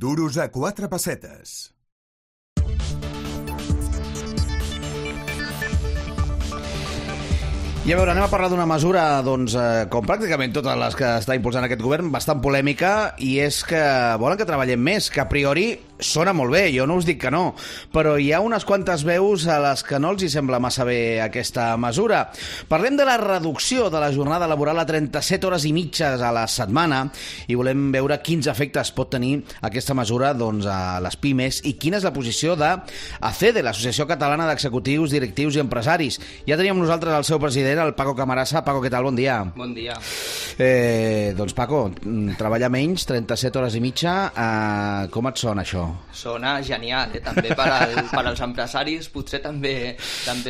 Duros a 4 pessetes. I a veure, anem a parlar d'una mesura, doncs, com pràcticament totes les que està impulsant aquest govern, bastant polèmica, i és que volen que treballem més, que a priori sona molt bé, jo no us dic que no, però hi ha unes quantes veus a les que no els hi sembla massa bé aquesta mesura. Parlem de la reducció de la jornada laboral a 37 hores i mitges a la setmana i volem veure quins efectes pot tenir aquesta mesura, doncs, a les pimes i quina és la posició d'ACEDE, l'Associació Catalana d'Executius, Directius i Empresaris. Ja teníem nosaltres el seu president, el Paco Camarasa. Paco, què tal? Bon dia. Bon dia. Doncs, Paco, treballar menys, 37 hores i mitja, com et sona això? Sona genial, també per als empresaris potser també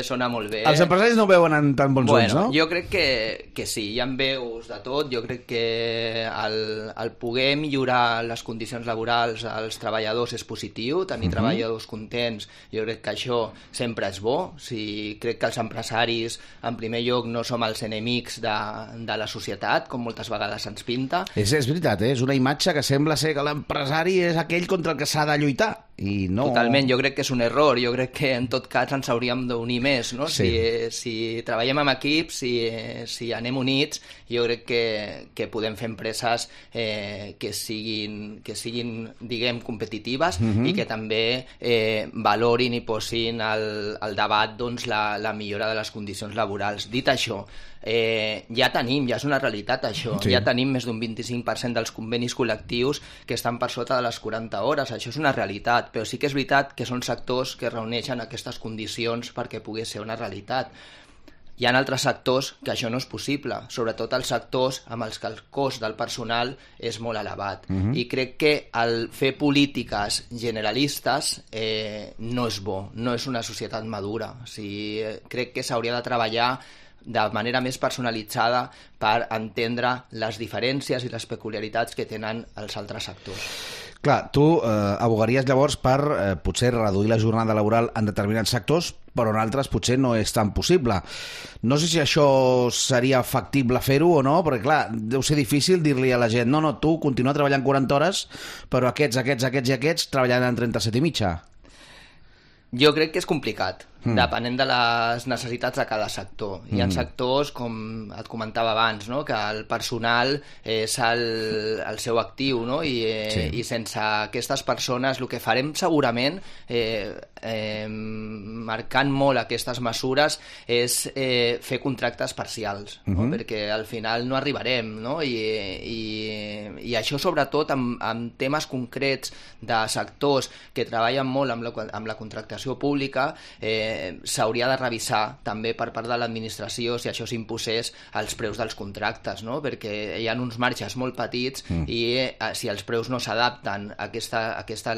sona molt bé. Els empresaris no ho veuen en tan bons ulls, no? Jo crec que sí, hi ha veus de tot. Jo crec que el poder millorar les condicions laborals als treballadors és positiu, tenir treballadors contents, jo crec que això sempre és bo. Crec que els empresaris, en primer lloc, no som els enemics de la societat, com moltes vegades ens pinta. És veritat, és una imatge que sembla ser que l'empresari és aquell contra el que s'ha de lluitar, i no... Totalment, jo crec que és un error, jo crec que en tot cas ens hauríem d'unir més, no? Sí. Si treballem en equips, si anem units, jo crec que podem fer empreses que siguin, diguem, competitives i que també valorin i posin al debat, doncs, la millora de les condicions laborals. Dit això, ja és una realitat això, ja tenim més d'un 25% dels convenis col·lectius que estan per sota de les 40 hores, això és una realitat, però sí que és veritat que són sectors que reuneixen aquestes condicions perquè pugui ser una realitat. Hi ha altres sectors que això no és possible, sobretot els sectors amb els que el cost del personal és molt elevat. I crec que el fer polítiques generalistes no és bo, no és una societat madura. Crec que s'hauria de treballar de manera més personalitzada per entendre les diferències i les peculiaritats que tenen els altres sectors. Clar, tu abogaries llavors per potser reduir la jornada laboral en determinats sectors, però en altres potser no és tan possible. No sé si això seria factible fer-ho o no, perquè clar, deu ser difícil dir-li a la gent no, tu continua treballant 40 hores, però aquests treballant en 37 i mitja. Jo crec que és complicat, depenent de les necessitats de cada sector. Hi ha sectors, com et comentava abans, no? Que el personal és el seu actiu, no? I sense aquestes persones el que farem segurament, marcant molt aquestes mesures, és fer contractes parcials, no? Perquè al final no arribarem, no? I això sobretot amb temes concrets de sectors que treballen molt amb la contractació pública, s'hauria de revisar també per part de l'administració si això s'imposés als preus dels contractes, no? Perquè hi ha uns marges molt petits i si els preus no s'adapten a aquesta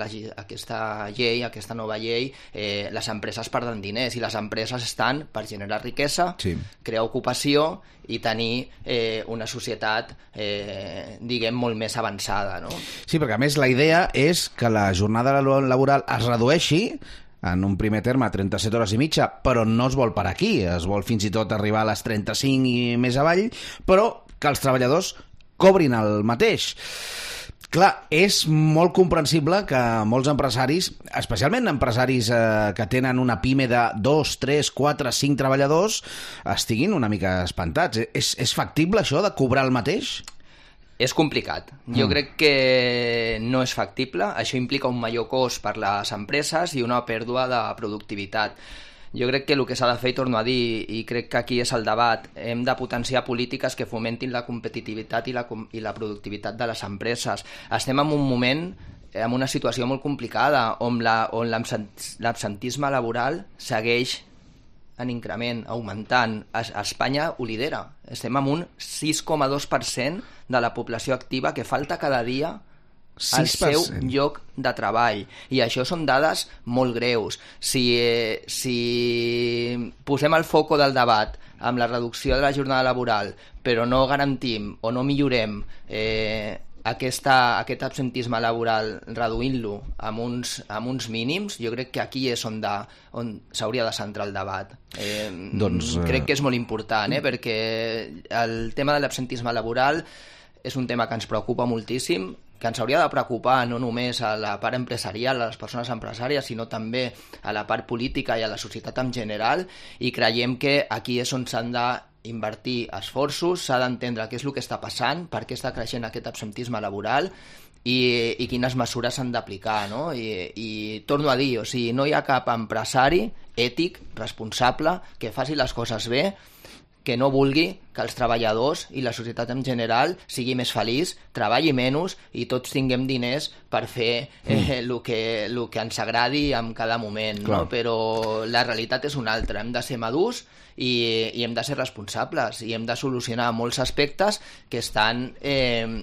llei, a aquesta nova llei, les empreses perden diners i les empreses estan per generar riquesa, crear ocupació i tenir una societat, diguem, molt més avançada, no? Sí, perquè a més la idea és que la jornada laboral es redueixi en un primer terme a 37 hores i mitja, però no es vol per aquí, es vol fins i tot arribar a les 35 i més avall, però que els treballadors cobrin el mateix. Clar, és molt comprensible que molts empresaris, especialment empresaris que tenen una pime de 2, 3, 4, 5 treballadors, estiguin una mica espantats. És factible això de cobrar el mateix? És complicat. Jo crec que no és factible. Això implica un major cost per les empreses i una pèrdua de productivitat. Jo crec que el que s'ha de fer, i torno a dir, i crec que aquí és el debat, hem de potenciar polítiques que fomentin la competitivitat i la productivitat de les empreses. Estem en un moment, en una situació molt complicada, on l'absentisme laboral segueix en increment, augmentant. Espanya ho lidera. Estem amb un 6,2% de la població activa que falta cada dia al seu lloc de treball. I això són dades molt greus. Si posem el foco del debat amb la reducció de la jornada laboral, però no garantim o no millorem aquest absentisme laboral reduint-lo amb uns mínims, jo crec que aquí és on s'hauria de centrar el debat. Crec que és molt important, perquè el tema de l'absentisme laboral és un tema que ens preocupa moltíssim. que ens hauria de preocupar no només a la part empresarial, a les persones empresàries, sinó també a la part política i a la societat en general, i creiem que aquí és on s'han d'invertir esforços, s'ha d'entendre què és el que està passant, per què està creixent aquest absentisme laboral i quines mesures s'han d'aplicar, no? I torno a dir, o sigui, no hi ha cap empresari ètic, responsable, que faci les coses bé, que no vulgui que els treballadors i la societat en general sigui més feliç, treballi menys i tots tinguem diners per fer el que ens agradi en cada moment, no? Però la realitat és una altra, hem de ser madurs i hem de ser responsables i hem de solucionar molts aspectes que estan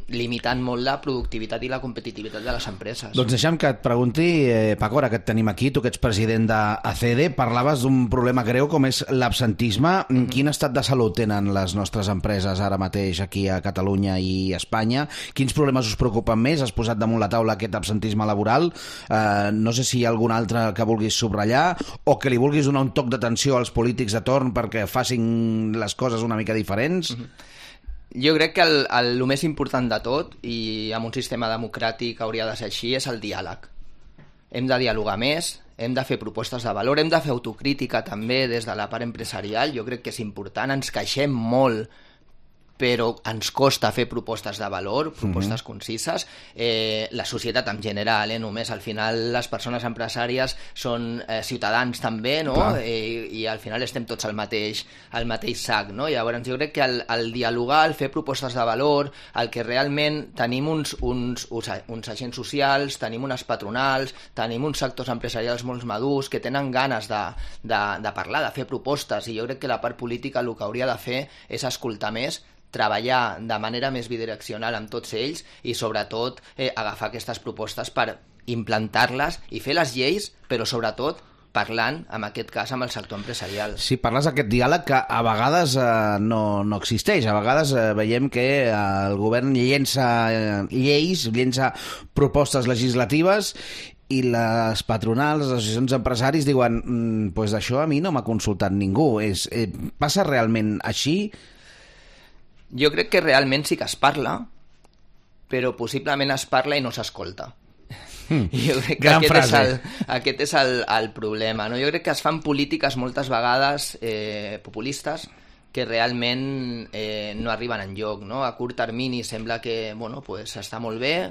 limitant molt la productivitat i la competitivitat de les empreses. Doncs deixa'm que et pregunti, Paco, ara que et tenim aquí, tu que ets president d'ACD, parlaves d'un problema greu com és l'absentisme. Quin estat de salut tenen les nostres empreses ara mateix aquí a Catalunya i a Espanya? Quins problemes us preocupen més? Has posat damunt la taula aquest absentisme laboral. No sé si hi ha algun altre que vulguis subratllar o que li vulguis donar un toc d'atenció als polítics de torn perquè facin les coses una mica diferents. Jo crec que el més important de tot, i en un sistema democràtic hauria de ser així, és el diàleg. Hem de dialogar més, hem de fer propostes de valor, hem de fer autocrítica també des de la part empresarial. Jo crec que és important, ens queixem molt, però ens costa fer propostes de valor, propostes concises. La societat en general, només al final les persones empresàries són ciutadans també, no? I al final estem tots al mateix sac, no? Llavors jo crec que el dialogar, el fer propostes de valor, el que realment tenim uns agents socials, tenim unes patronals, tenim uns sectors empresarials molt madurs que tenen ganes de parlar, de fer propostes, i jo crec que la part política el que hauria de fer és escoltar més, treballar de manera més bidireccional amb tots ells i, sobretot, agafar aquestes propostes per implantar-les i fer les lleis, però, sobretot, parlant, en aquest cas, amb el sector empresarial. Sí, parles d'aquest diàleg que a vegades no existeix. A vegades veiem que el govern llença lleis, llença propostes legislatives i les patronals, les associacions d'empresaris diuen pues d'això a mi no m'ha consultat ningú. Passa realment així? Jo crec que realment sí que es parla, però possiblement es parla i no s'escolta. Jo crec que aquest és el problema, no? Jo crec que es fan polítiques moltes vegades populistes que realment no arriben enlloc, no? A curt termini sembla que pues està molt bé,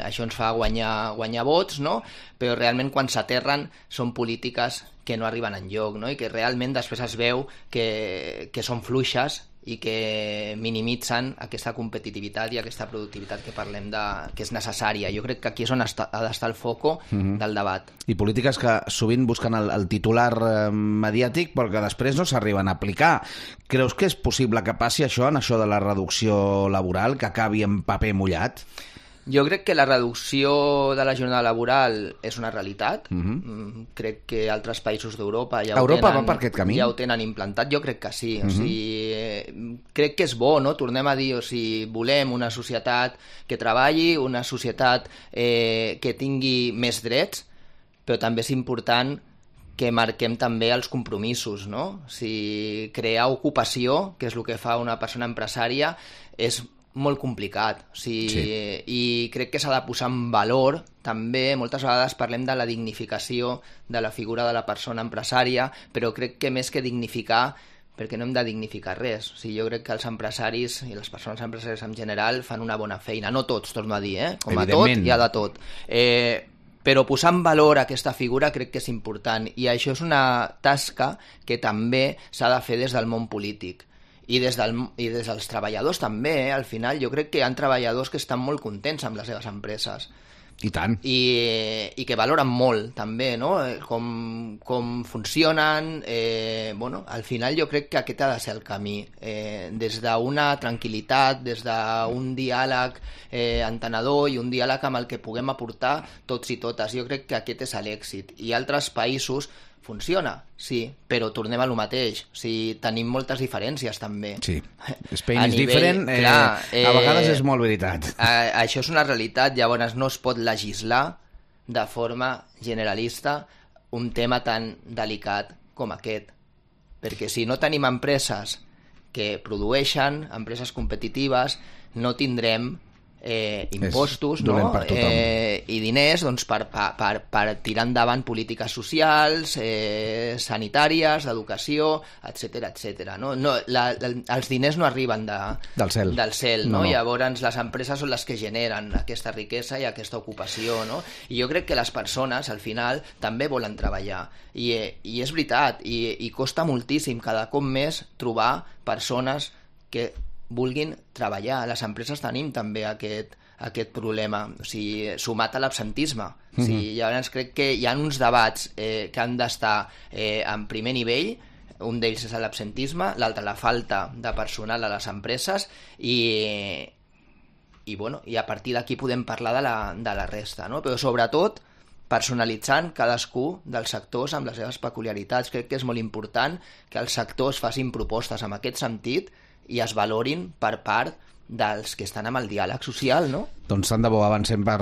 això ens fa guanyar vots, no? Però realment quan s'aterren són polítiques que no arriben enlloc, no? I que realment després es veu que són fluixes i que minimitzen aquesta competitivitat i aquesta productivitat que parlem que és necessària. Jo crec que aquí és on ha d'estar el foco del debat. I polítiques que sovint busquen el titular mediàtic però que després no s'arriben a aplicar. Creus que és possible que passi això en això de la reducció laboral, que acabi en paper mullat? Jo crec que la reducció de la jornada laboral és una realitat. Crec que altres països d'Europa ja ho tenen implantat. Jo crec que sí. O sigui, crec que és bo, no? Tornem a dir, o sigui, volem una societat que treballi, una societat que tingui més drets, però també és important que marquem també els compromisos, no? O sigui, crear ocupació, que és el que fa una persona empresària, és molt complicat, o sigui, i crec que s'ha de posar en valor també. Moltes vegades parlem de la dignificació de la figura de la persona empresària, però crec que més que dignificar, perquè no hem de dignificar res. O sigui, jo crec que els empresaris i les persones empresàries en general fan una bona feina, no tots, torno a dir, com a tot hi ha de tot. Però posar en valor aquesta figura crec que és important, i això és una tasca que també s'ha de fer des del món polític. I des dels treballadors també, al final. Jo crec que hi ha treballadors que estan molt contents amb les seves empreses. I tant. I que valoren molt, també, no? Com funcionen. Al final jo crec que aquest ha de ser el camí. Des d'una tranquil·litat, des d'un diàleg entenedor i un diàleg amb el que puguem aportar tots i totes. Jo crec que aquest és l'èxit. I altres països funciona, sí, però tornem a lo mateix. O sigui, tenim moltes diferències també. Sí, Spain is different, clar, a vegades és molt veritat. Això és una realitat, llavors no es pot legislar de forma generalista un tema tan delicat com aquest. Perquè si no tenim empreses que produeixen, empreses competitives, no tindrem impostos, dolent no? per tothom. I diners doncs, per tirar endavant polítiques socials, sanitàries, d'educació, etc. No? Els diners no arriben Del cel. no? No. Llavors les empreses són les que generen aquesta riquesa i aquesta ocupació, no? I jo crec que les persones al final també volen treballar i és veritat, i costa moltíssim cada cop més trobar persones que vulguin treballar. Les empreses tenim també aquest problema, o sigui, sumat a l'absentisme. O sigui, llavors crec que hi ha uns debats que han d'estar en primer nivell. Un d'ells és l'absentisme, l'altre la falta de personal a les empreses i a partir d'aquí podem parlar de la resta, no? Però sobretot personalitzant cadascú dels sectors amb les seves peculiaritats. Crec que és molt important que els sectors facin propostes en aquest sentit i es valorin per part dels que estan amb el diàleg social, no? Doncs tant de bo avancem per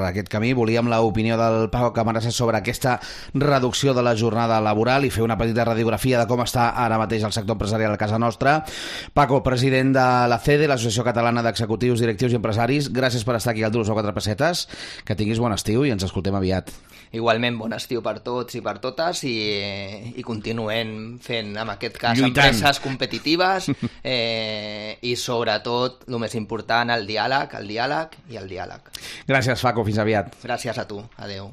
aquest camí. Volíem l'opinió del Paco Camarasa sobre aquesta reducció de la jornada laboral i fer una petita radiografia de com està ara mateix el sector empresarial a casa nostra. Paco, president de la CEDE, l'Associació Catalana d'Executius, Directius i Empresaris, gràcies per estar aquí al Duros o Quatre Pessetes. Que tinguis bon estiu i ens escoltem aviat. Igualment, bon estiu per tots i per totes i continuem fent, en aquest cas, lluitant. Empreses competitives i sobretot, el més important, el diàleg i el diàleg. Gràcies, Paco. Fins aviat. Gràcies a tu. Adeu.